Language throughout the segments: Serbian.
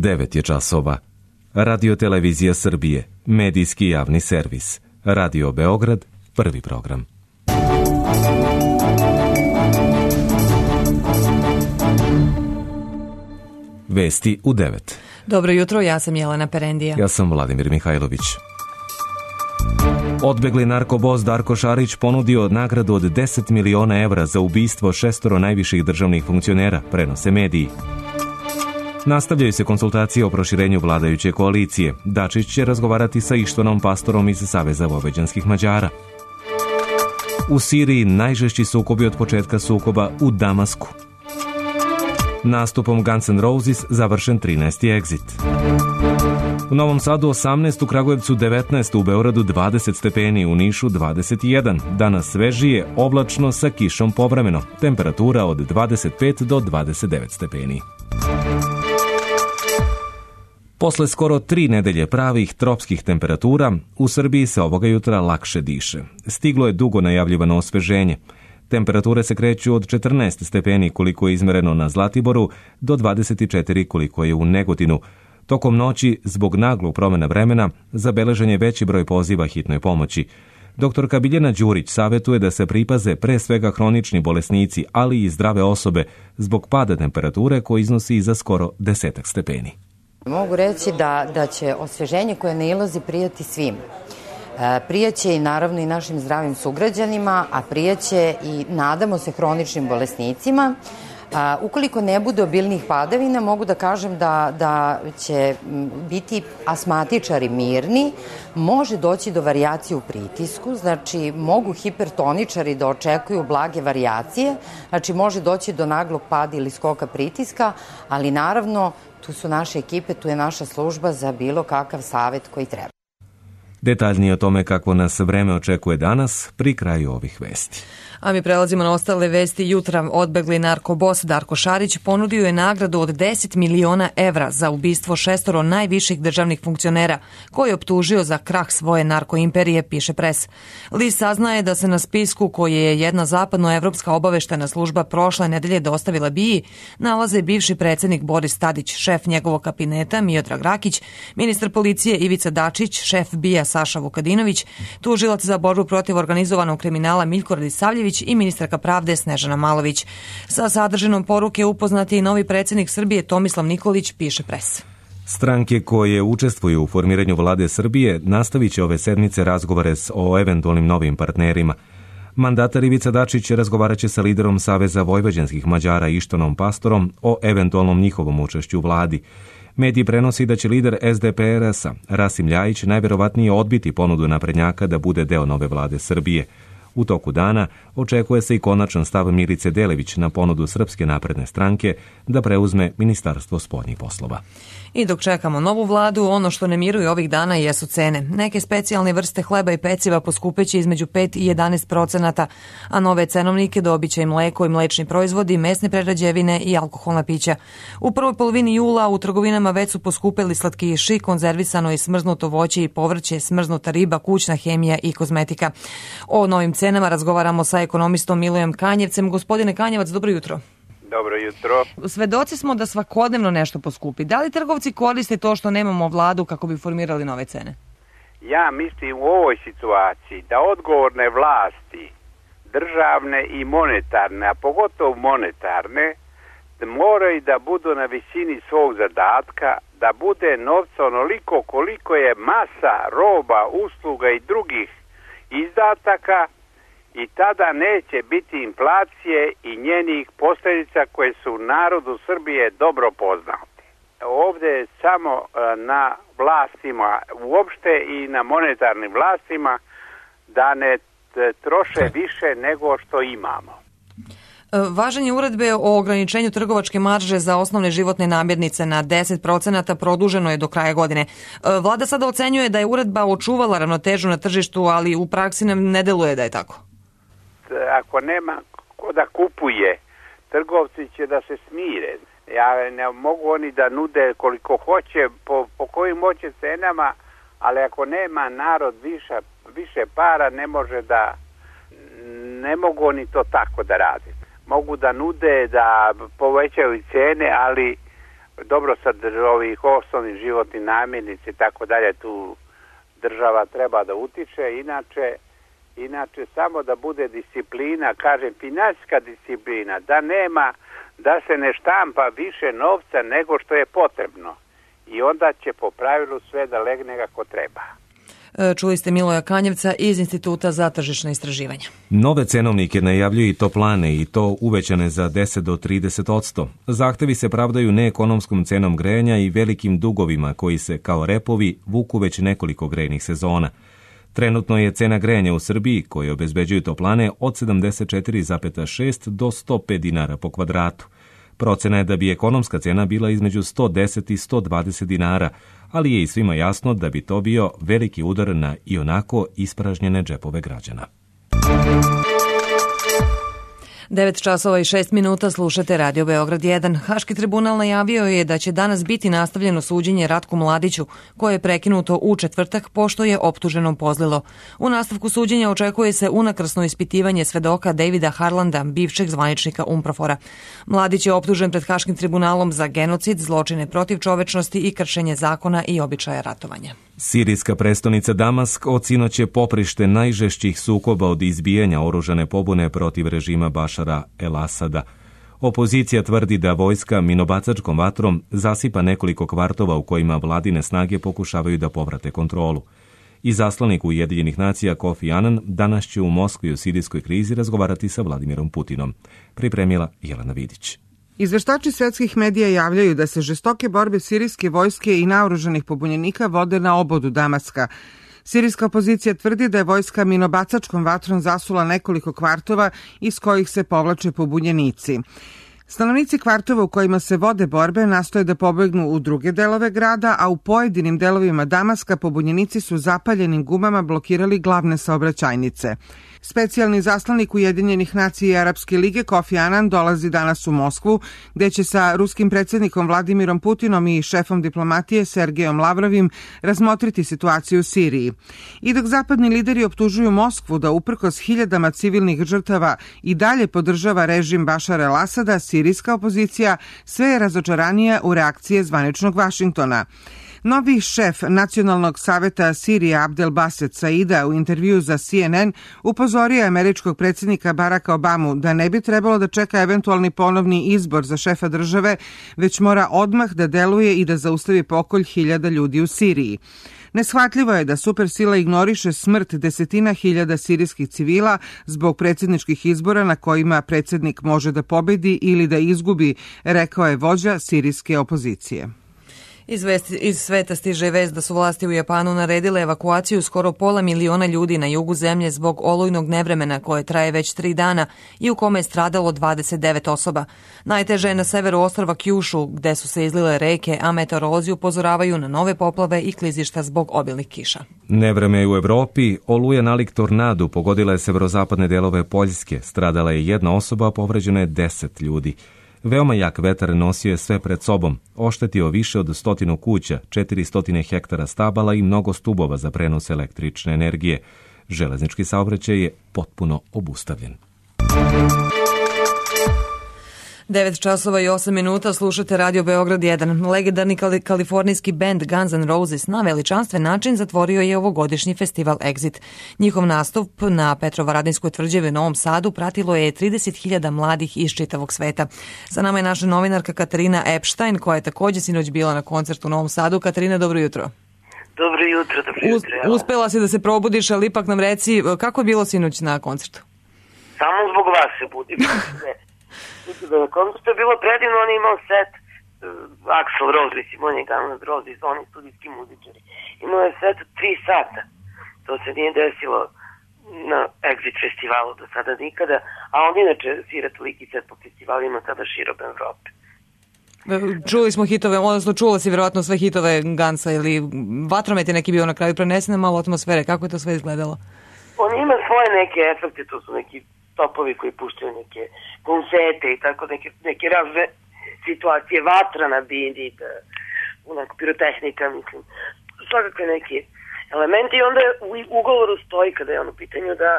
9 je časova. Radio Televizija Srbije, medijski javni servis. Radio Beograd, prvi program. Vesti u 9. Dobro jutro, ja sam Jelena Perendija. Ja sam Vladimir Mihajlović. Odbegli narkobos Darko Šarić ponudio nagradu od 10 miliona evra za ubistvo 6 najviših državnih funkcionera, prenose mediji. Nastavljaju se konsultacije o proširenju vladajuće koalicije. Dačić će razgovarati sa Ištvanom Pastorom iz Saveza vojvođanskih Mađara. U Siriji najžešći sukobi od početka sukoba u Damasku. Nastupom Guns N' Roses završen 13. exit. U Novom Sadu 18, u Kragujevcu 19, u Beogradu 20 stepeni, u Nišu 21. Danas svežije, oblačno sa kišom povremeno. Temperatura od 25 do 29 stepeni. Posle skoro 3 nedelje pravih tropskih temperatura, u Srbiji se ovoga jutra lakše diše. Stiglo je dugo najavljivano osveženje. Temperature se kreću od 14 stepeni koliko je izmereno na Zlatiboru do 24 koliko je u Negotinu. Tokom noći, zbog naglog promjena vremena, zabeležen je veći broj poziva hitnoj pomoći. Doktorka Biljana Đurić savjetuje da se pripaze pre svega hronični bolesnici, ali i zdrave osobe, zbog pada temperature koji iznosi za skoro 10 stepeni. Mogu reći da će osveženje koje nailazi prijati svim. Prijaće i naravno i našim zdravim sugrađanima, a prijaće i nadamo se hroničnim bolesnicima. Ukoliko ne bude obilnih padavina, mogu da kažem da će biti asmatičari mirni, može doći do varijacije u pritisku, znači mogu hipertoničari da očekuju blage varijacije, znači može doći do naglog pada ili skoka pritiska, ali naravno tu su naše ekipe, tu je naša služba za bilo kakav savjet koji treba. Detaljnije o tome kako nas vreme očekuje danas pri kraju ovih vesti. A mi prelazimo na ostale vesti. Jutra odbegli narkobos Darko Šarić ponudio je nagradu od 10 miliona evra za ubistvo 6 najviših državnih funkcionera, koji je optužio za krah svoje narkoimperije, piše Pres. List saznaje da se na spisku koji je jedna zapadnoevropska obaveštena služba prošle nedelje dostavila BIA nalaze bivši predsjednik Boris Tadić, šef njegovog kabineta Miodrag Rakić, ministar policije Ivica Dačić, šef BIA Saša Vukadinović, tužilac za borbu protiv organizovanog kriminala Miljko Radisavljević i ministarka pravde Snežana Malović. Sa sadržinom poruke upoznati i novi predsjednik Srbije Tomislav Nikolić, piše Pres. Stranke koje učestvuju u formiranju vlade Srbije nastavit će ove sedmice razgovore o eventualnim novim partnerima. Mandatar Ivica Dačić razgovarat će sa liderom Saveza vojvođanskih Mađara Ištvanom Pastorom o eventualnom njihovom učešću u vladi. Mediji prenosi da će lider SDPRS-a Rasim Ljajić najverovatnije odbiti ponudu naprednjaka da bude deo nove vlade Srbije. U toku dana očekuje se i konačan stav Milice Delević na ponudu Srpske napredne stranke da preuzme Ministarstvo spoljnih poslova. I dok čekamo novu vladu, ono što ne miruje ovih dana jesu cene. Neke specijalne vrste hleba i peciva poskupeće između 5 i 11%, a nove cenovnike dobiće i mleko i mlečni proizvodi, mesne prerađevine i alkoholna pića. U prvoj polovini jula u trgovinama već su poskupeli slatkiši, konzervisano i smrznuto voće i povrće, smrznuta riba, kućna hemija i kozmetika. O novim cenama razgovaramo sa ekonomistom Milojem Kanjevcem. Gospodine Kanjevac, dobro jutro. Dobro jutro. Svedoci smo da svakodnevno nešto poskupi. Da li trgovci koriste to što nemamo vladu kako bi formirali nove cene? Ja mislim u ovoj situaciji da odgovorne vlasti, državne i monetarne, a pogotovo monetarne, moraju da budu na visini svog zadatka, da bude novca onoliko koliko je masa roba, usluga i drugih izdataka, i tada neće biti inflacije i njenih posljedica koje su narodu Srbije dobro poznate. Ovdje je samo na vlastima uopšte i na monetarnim vlastima da ne troše više nego što imamo. Važenje uredbe o ograničenju trgovačke marže za osnovne životne namirnice na 10% produženo je do kraja godine. Vlada sada ocenjuje da je uredba očuvala ravnotežu na tržištu, ali u praksi nam ne deluje da je tako. Ako nema ko da kupuje, trgovci će da se smire. Ne mogu oni da nude koliko hoće, po kojim hoće cenama, ali ako nema narod više para, ne mogu oni to tako da rade. Mogu da nude, da povećaju cene, ali dobro ovih osnovnih životnih namirnica i tako dalje, tu država treba da utiče, inače samo da bude disciplina, kažem finansijska disciplina, da se ne štampa više novca nego što je potrebno i onda će po pravilu sve da legne kako treba. Čuli ste Miloja Kanjevca iz Instituta za tržišna istraživanja. Nove cenovnike najavljuju i toplane i to uvećane za 10 do 30%. Zahtevi se pravdaju neekonomskom cenom grejanja i velikim dugovima koji se kao repovi vuku već nekoliko grejnih sezona. Trenutno je cena grejanja u Srbiji, koje obezbeđuju toplane, od 74,6 do 105 dinara po kvadratu. Procena je da bi ekonomska cena bila između 110 i 120 dinara, ali je i svima jasno da bi to bio veliki udar na ionako ispražnjene džepove građana. 9 časova i 6 minuta slušate Radio Beograd 1. Haški tribunal najavio je da će danas biti nastavljeno suđenje Ratku Mladiću, koje je prekinuto u četvrtak pošto je optuženom pozlilo. U nastavku suđenja očekuje se unakrsno ispitivanje svedoka Davida Harlanda, bivšeg zvaničnika UNPROFOR-a. Mladić je optužen pred Haškim tribunalom za genocid, zločine protiv čovečnosti i kršenje zakona i običaja ratovanja. Sirijska prestonica Damask od sinoć je poprište najžešćih sukoba od izbijanja oružane pobune protiv režima Bašara el-Asada. Opozicija tvrdi da vojska minobacačkom vatrom zasipa nekoliko kvartova u kojima vladine snage pokušavaju da povrate kontrolu. Izaslanik Ujedinjenih nacija Kofi Annan danas će u Moskvi o sirijskoj krizi razgovarati sa Vladimirom Putinom. Pripremila Jelena Vidić. Izveštači svetskih medija javljaju da se žestoke borbe sirijske vojske i naoružanih pobunjenika vode na obodu Damaska. Sirijska opozicija tvrdi da je vojska minobacačkom vatrom zasula nekoliko kvartova iz kojih se povlače pobunjenici. Stanovnici kvartova u kojima se vode borbe nastoje da pobegnu u druge delove grada, a u pojedinim delovima Damaska pobunjenici su zapaljenim gumama blokirali glavne saobraćajnice. Specijalni zaslanik Ujedinjenih nacija i Arapske lige Kofi Annan dolazi danas u Moskvu, gde će sa ruskim predsjednikom Vladimirom Putinom i šefom diplomatije Sergejom Lavrovim razmotriti situaciju u Siriji. I dok zapadni lideri optužuju Moskvu da uprkos hiljadama civilnih žrtava i dalje podržava režim Bašara el-Asada, sirijska opozicija sve je razočaranija u reakcije zvaničnog Vašingtona. Novi šef Nacionalnog saveta Sirije Abdel Baset Saida u intervju za CNN upozorio je američkog predsjednika Baracka Obamu da ne bi trebalo da čeka eventualni ponovni izbor za šefa države, već mora odmah da deluje i da zaustavi pokolj hiljada ljudi u Siriji. Neshvatljivo je da supersila ignoriše smrt desetina hiljada sirijskih civila zbog predsjedničkih izbora na kojima predsjednik može da pobedi ili da izgubi, rekao je vođa sirijske opozicije. Iz sveta stiže vest da su vlasti u Japanu naredile evakuaciju skoro 500.000 ljudi na jugu zemlje zbog olujnog nevremena koje traje već 3 dana i u kome je stradalo 29 osoba. Najteže je na severu ostrva Kjušu, gde su se izlile reke, a meteorolozi upozoravaju na nove poplave i klizišta zbog obilnih kiša. Nevreme u Evropi, oluja nalik tornadu pogodila je severozapadne delove Poljske. Stradala je 1 osoba, a povređeno je 10 ljudi. Veoma jak vetar nosio je sve pred sobom, oštetio više od 100 kuća, 400 hektara stabala i mnogo stubova za prenos električne energije. Železnički saobraćaj je potpuno obustavljen. 9 časova i 8 minuta slušate Radio Beograd 1. Legendarni kalifornijski bend Guns N' Roses na veličanstven način zatvorio je ovogodišnji festival Exit. Njihov nastup na Petrovaradinskoj tvrđavi u Novom Sadu pratilo je 30.000 mladih iz čitavog sveta. Sa nama je naša novinarka Katarina Epstein, koja je također sinoć bila na koncertu u Novom Sadu. Katarina, dobro jutro. Dobro jutro. Uspela si da se probudiš, ali ipak nam reci kako je bilo sinoć na koncertu? Samo zbog vas se budim. Na koncertu je bilo predivno, on je imao set Axl Rose, mislim, on je Guns N' Roses, oni studijski muzičari. Imao je set 3 sata. To se nije desilo na Exit festivalu do sada nikada, a on inače svira toliki set po festivalima sada širom Evrope. Čuli smo hitove, odnosno čula si vjerovatno sve hitove Gansa ili Vatromet je neki bio na kraju, prenesene malo atmosfere, kako je to sve izgledalo? On ima svoje neke efekte, to su neki topovi koji puštaju neke konfete i tako neke razne situacije, vatra na bini, onako pirotehnika, mislim, svakakve neki elementi i onda u ugovoru stoji kada je on u pitanju da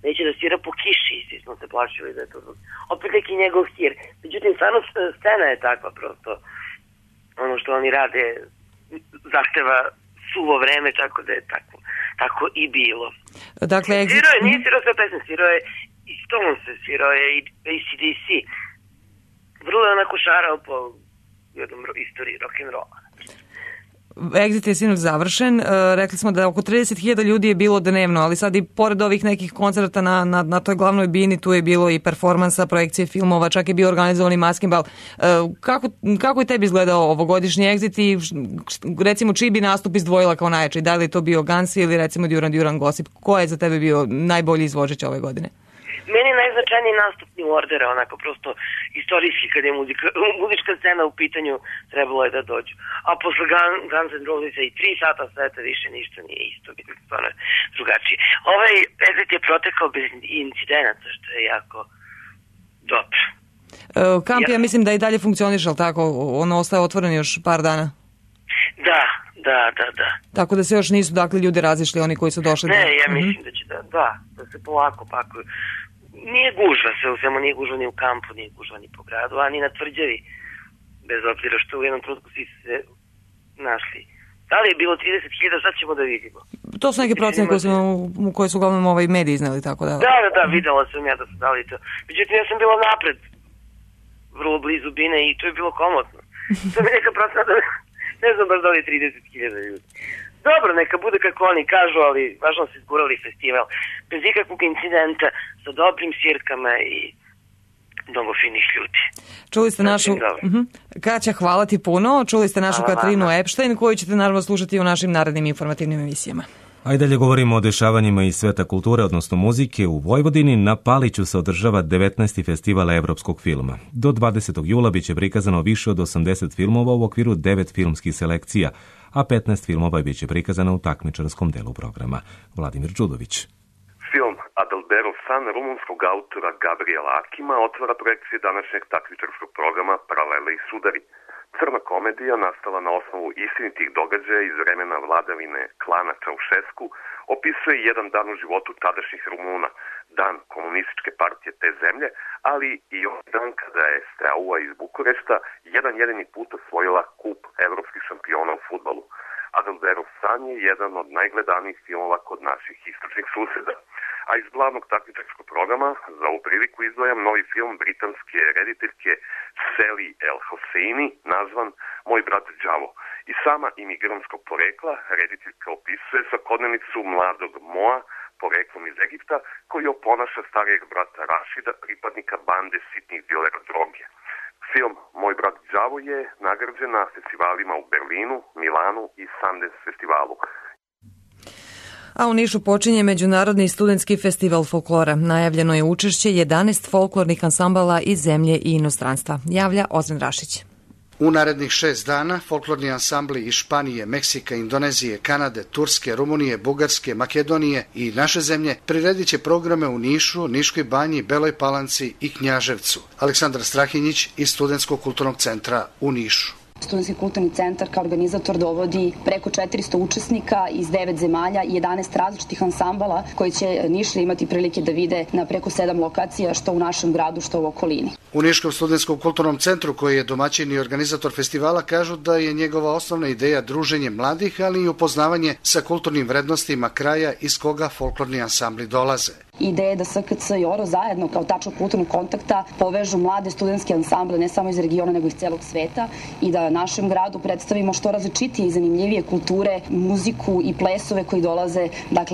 neće da svira po kiši, svi smo se plašili da je to opet neki njegov hir. Međutim, stvarno scena je takva prosto, ono što oni rade zahteva suvo vreme, tako da je tako i bilo. Dakle, nije svirao sve pesme, svirao je i Stones, svirao je i AC/DC. Vrlo je onako šarao po jednom istoriji rock'n'rolla. Exit je sinoć završen. Rekli smo da oko 30.000 ljudi je bilo dnevno, ali sad i pored ovih nekih koncerta na toj glavnoj bini tu je bilo i performansa, projekcije filmova, čak je bio organizovani maskenbal. Kako je tebi izgledao ovogodišnji Exit i recimo čiji bi nastup izdvojila kao najjači? Da li je to bio Gansi ili recimo Duran Duran Gossip? Ko je za tebe bio najbolji izvođač ove godine? Meni je najznačajniji nastup New Ordera, onako prosto istorijski kad je muzička scena u pitanju, trebalo je da dođu. A posle Guns N' Rosesa i 3 sata sveta više ništa nije isto, bilo stvarno drugačije. Ovaj Exit je protekao bez incidenata, što je jako dobro. Kamp, ja mislim da i dalje funkcioniš, ali tako? Ono ostaje otvoren još par dana? Da. Tako da se još nisu, dakle, ljudi razišli, oni koji su došli? Ne, ja mislim da će da se polako pakuju. Nije gužva sve u svemu, nije gužva ni u kampu, nije gužva ni po gradu, a ni na Tvrđavi, bez obzira što u jednom trenutku svi se našli. Da li je bilo 30.000, sad ćemo da vidimo. To su neke procene koje su uglavnom mediji izneli, tako da... Da, videla sam ja da su dali to. Međutim, ja sam bila napred, vrlo blizu bine i to je bilo komotno. To mi neka procena da... Ne znam baš da li 30.000 ljudi. Dobro, neka bude kako oni kažu, ali važno se izgurali festival. Bez ikakvog incidenta, sa dobrim svirkama i mnogo finih ljudi. Čuli ste našu... Kaća, hvala ti puno. Čuli ste našu Katarinu Epštajn, koju ćete naravno slušati u našim narednim informativnim emisijama. A i dalje govorimo o dešavanjima iz sveta kulture, odnosno muzike. U Vojvodini na Paliću se održava 19. festival evropskog filma. Do 20. jula biće prikazano više od 80 filmova u okviru 9 filmskih selekcija, a 15 filmova biće prikazano u takmičarskom delu programa. Vladimir Đudović. Film Adalberov san rumunskog autora Gabriela Akima otvara projekcije današnjeg takmičarskog programa Paralele i sudari. Crna komedija, nastala na osnovu istinitih događaja iz vremena vladavine klana Čaušesku, opisuje jedan dan u životu tadašnjih Rumuna, dan komunističke partije te zemlje, ali i on dan kada je Steaua iz Bukurešta jedan jedini put osvojila kup evropskih šampiona u fudbalu. Adalberov san je jedan od najgledanijih filmova kod naših istočnih suseda. A iz glavnog takmičarskog programa za ovu priliku izdvajam novi film britanske rediteljke Sally El Hosseini, nazvan Moj brat Đavo. I sama imigrantskog porekla rediteljka opisuje svakodnevnicu mladog Moa, poreklom iz Egipta, koji oponaša starijeg brata Rašida, pripadnika bande sitnih dilera droge. Film Moj brat Đavo je nagrađen na festivalima u Berlinu, Milanu i Sundance festivalu. A u Nišu počinje Međunarodni studentski festival folklora. Najavljeno je učešće 11 folklornih ansambala iz zemlje i inostranstva. Javlja Ozren Rašić. U narednih 6 dana folklorni ansambli iz Španije, Meksika, Indonezije, Kanade, Turske, Rumunije, Bugarske, Makedonije i naše zemlje priredit će programe u Nišu, Niškoj banji, Beloj Palanci i Knjaževcu. Aleksandar Strahinjić iz Studentskog kulturnog centra u Nišu. Studentski kulturni centar kao organizator dovodi preko 400 učesnika iz 9 zemalja i 11 različitih ansambala koji će Nišlije imati prilike da vide na preko 7 lokacija, što u našem gradu, što u okolini. U Niškom studentskom kulturnom centru, koji je domaćin i organizator festivala, kažu da je njegova osnovna ideja druženje mladih, ali i upoznavanje sa kulturnim vrednostima kraja iz koga folklorni ansambli dolaze. Ideja je da SKC i ORO zajedno kao tačka kulturnog kontakta povežu mlade studentske ansamble ne samo iz regiona nego iz celog sveta i da našem gradu predstavimo što različitije i zanimljivije kulture, muziku i plesove koji dolaze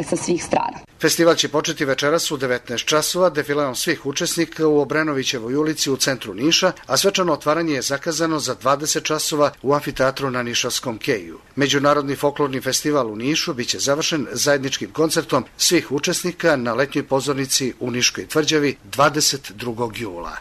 sa svih strana. Festival će početi večeras u 19 časova defileom svih učesnika u Obrenovićevoj ulici u centru Niša, a svečano otvaranje je zakazano za 20 časova u amfiteatru na Nišavskom keju. Međunarodni folklorni festival u Nišu biće završen zajedničkim koncertom svih učesnika na letnjoj pozornici u Niškoj tvrđavi 22. jula.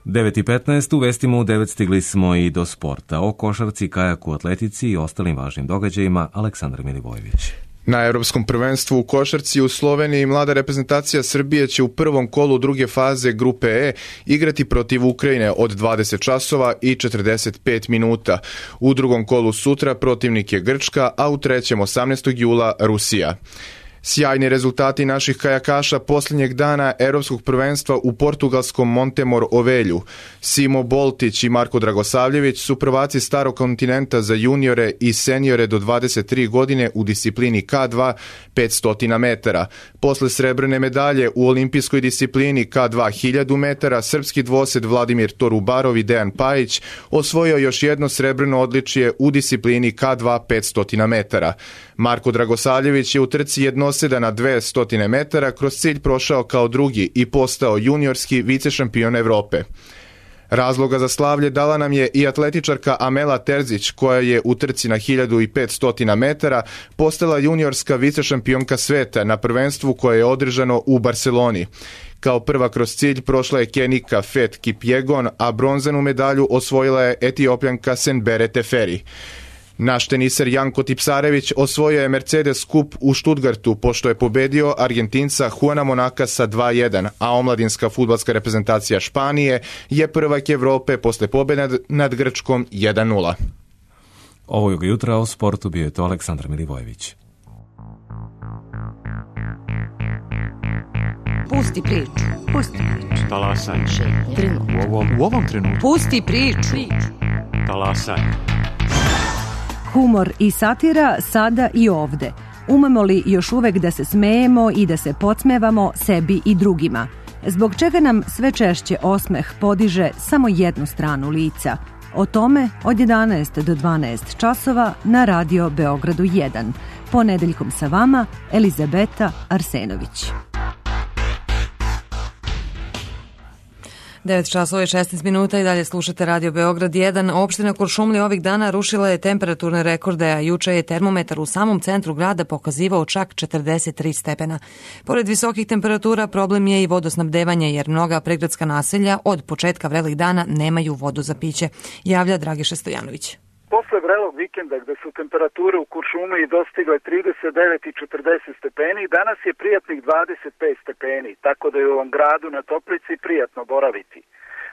9:15 u vestima u 9 stigli smo i do sporta. O košarci, kajaku, atletici i ostalim važnim događajima Aleksandar Milivojević. Na Evropskom prvenstvu u košarci u Sloveniji mlada reprezentacija Srbije će u prvom kolu druge faze grupe E igrati protiv Ukrajine od 20 časova i 45 minuta. U drugom kolu sutra protivnik je Grčka, a u trećem 18. jula Rusija. Sjajni rezultati naših kajakaša posljednjeg dana Europskog prvenstva u portugalskom Montemor Ovelju. Simo Boltić i Marko Dragosavljević su prvaci starog kontinenta za juniore i seniore do 23 godine u disciplini K2 500 metara. Posle srebrne medalje u olimpijskoj disciplini K2 1000 metara, srpski dvosed Vladimir Torubarov i Dejan Pajić osvojio još jedno srebrno odličje u disciplini K2 500 metara. Marko Dragosavljević je u trci jednoseda na 200 metara kroz cilj prošao kao drugi i postao juniorski vicešampion Evrope. Razloga za slavlje dala nam je i atletičarka Amela Terzić, koja je u trci na 1500 metara postala juniorska vicešampionka sveta na prvenstvu koje je održano u Barseloni. Kao prva kroz cilj prošla je Kenika Fet Kipjegon, a bronzanu medalju osvojila je Etiopljanka Senbere Teferi. Naš teniser Janko Tipsarević osvojio je Mercedes Cup u Stuttgartu pošto je pobedio Argentinca Juana Monakasa 2-1, a omladinska fudbalska reprezentacija Španije je prvak Evrope posle pobjede nad Grčkom 1-0. Ovog jutra u sportu bio je to Aleksandar Milivojević. Pusti priču. Pusti priču. Talasaj. U ovom trenutku. Pusti priču. Talasaj. Humor i satira sada i ovde. Umemo li još uvek da se smejemo i da se podsmevamo sebi i drugima? Zbog čega nam sve češće osmeh podiže samo jednu stranu lica? O tome od 11 do 12 časova na Radio Beogradu 1. Ponedeljkom sa vama Elizabeta Arsenović. 9 časova i 16 minuta i dalje slušate Radio Beograd 1. Opština Kuršumlija ovih dana rušila je temperaturne rekorde, a juče je termometar u samom centru grada pokazivao čak 43 stepena. Pored visokih temperatura problem je i vodosnabdevanje, jer mnoga prigradska naselja od početka vrelih dana nemaju vodu za piće, javlja Dragiša Stojanović. Posle vrelog vikenda gde su temperature u Kuršumliji dostigle 39 i 40 stepeni, danas je prijatnih 25 stepeni, tako da je u ovom gradu na Toplici prijatno boraviti.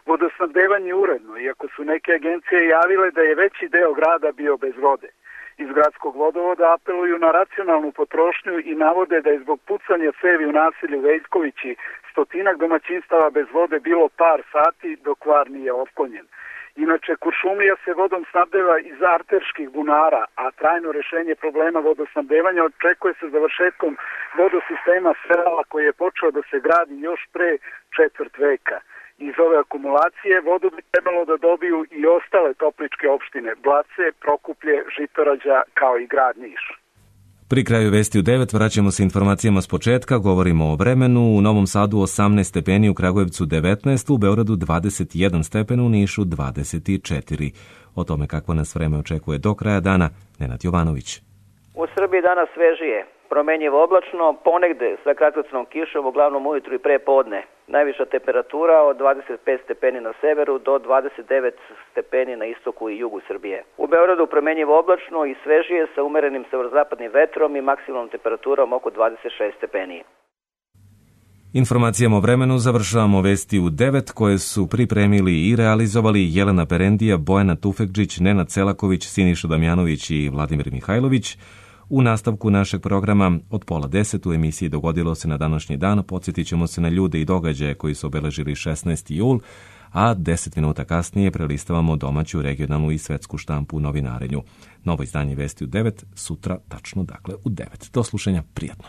Vodosnabdevanje uredno, iako su neke agencije javile da je veći deo grada bio bez vode. Iz gradskog vodovoda apeluju na racionalnu potrošnju i navode da je zbog pucanja cevi u naselju Veljkovići stotinak domaćinstava bez vode bilo par sati dok var nije otklonjen. Inače, Kuršumlija se vodom snabdeva iz arterskih bunara, a trajno rešenje problema vodosnabdevanja očekuje se završetkom vodosistema Srela koji je počeo da se gradi još pre četvrt veka. Iz ove akumulacije vodu bi trebalo da dobiju i ostale topličke opštine, Blace, Prokuplje, Žitorađa kao i grad Niš. Pri kraju vesti u 9 vraćamo se informacijama s početka, govorimo o vremenu. U Novom Sadu 18 stepeni, u Kragujevcu 19, u Beogradu 21 stepen, u Nišu 24. O tome kakvo nas vreme očekuje do kraja dana, Nenad Jovanović. U Srbiji danas svežije, promenjivo oblačno, ponegde sa kratkotrenom kišom, uglavnom ujutru i pre podne. Najviša temperatura od 25 stepeni na severu do 29 stepeni na istoku i jugu Srbije. U Beogradu promenjivo oblačno i svežije sa umerenim severozapadnim vetrom i maksimalnom temperaturom oko 26 stepeni. Informacijama o vremenu završavamo vesti u 9 koje su pripremili i realizovali Jelena Perendija, Bojana Tufekđić, Nenad Selaković, Siniša Damjanović i Vladimir Mihajlović. U nastavku našeg programa od 9:30 u emisiji Dogodilo se na današnji dan podsjetit ćemo se na ljude i događaje koji su obeležili 16. jul, a 10 minuta kasnije prelistavamo domaću, regionalnu i svetsku štampu u novinarenju. Novo izdanje vesti u 9, sutra tačno dakle u 9. Do slušanja, prijatno.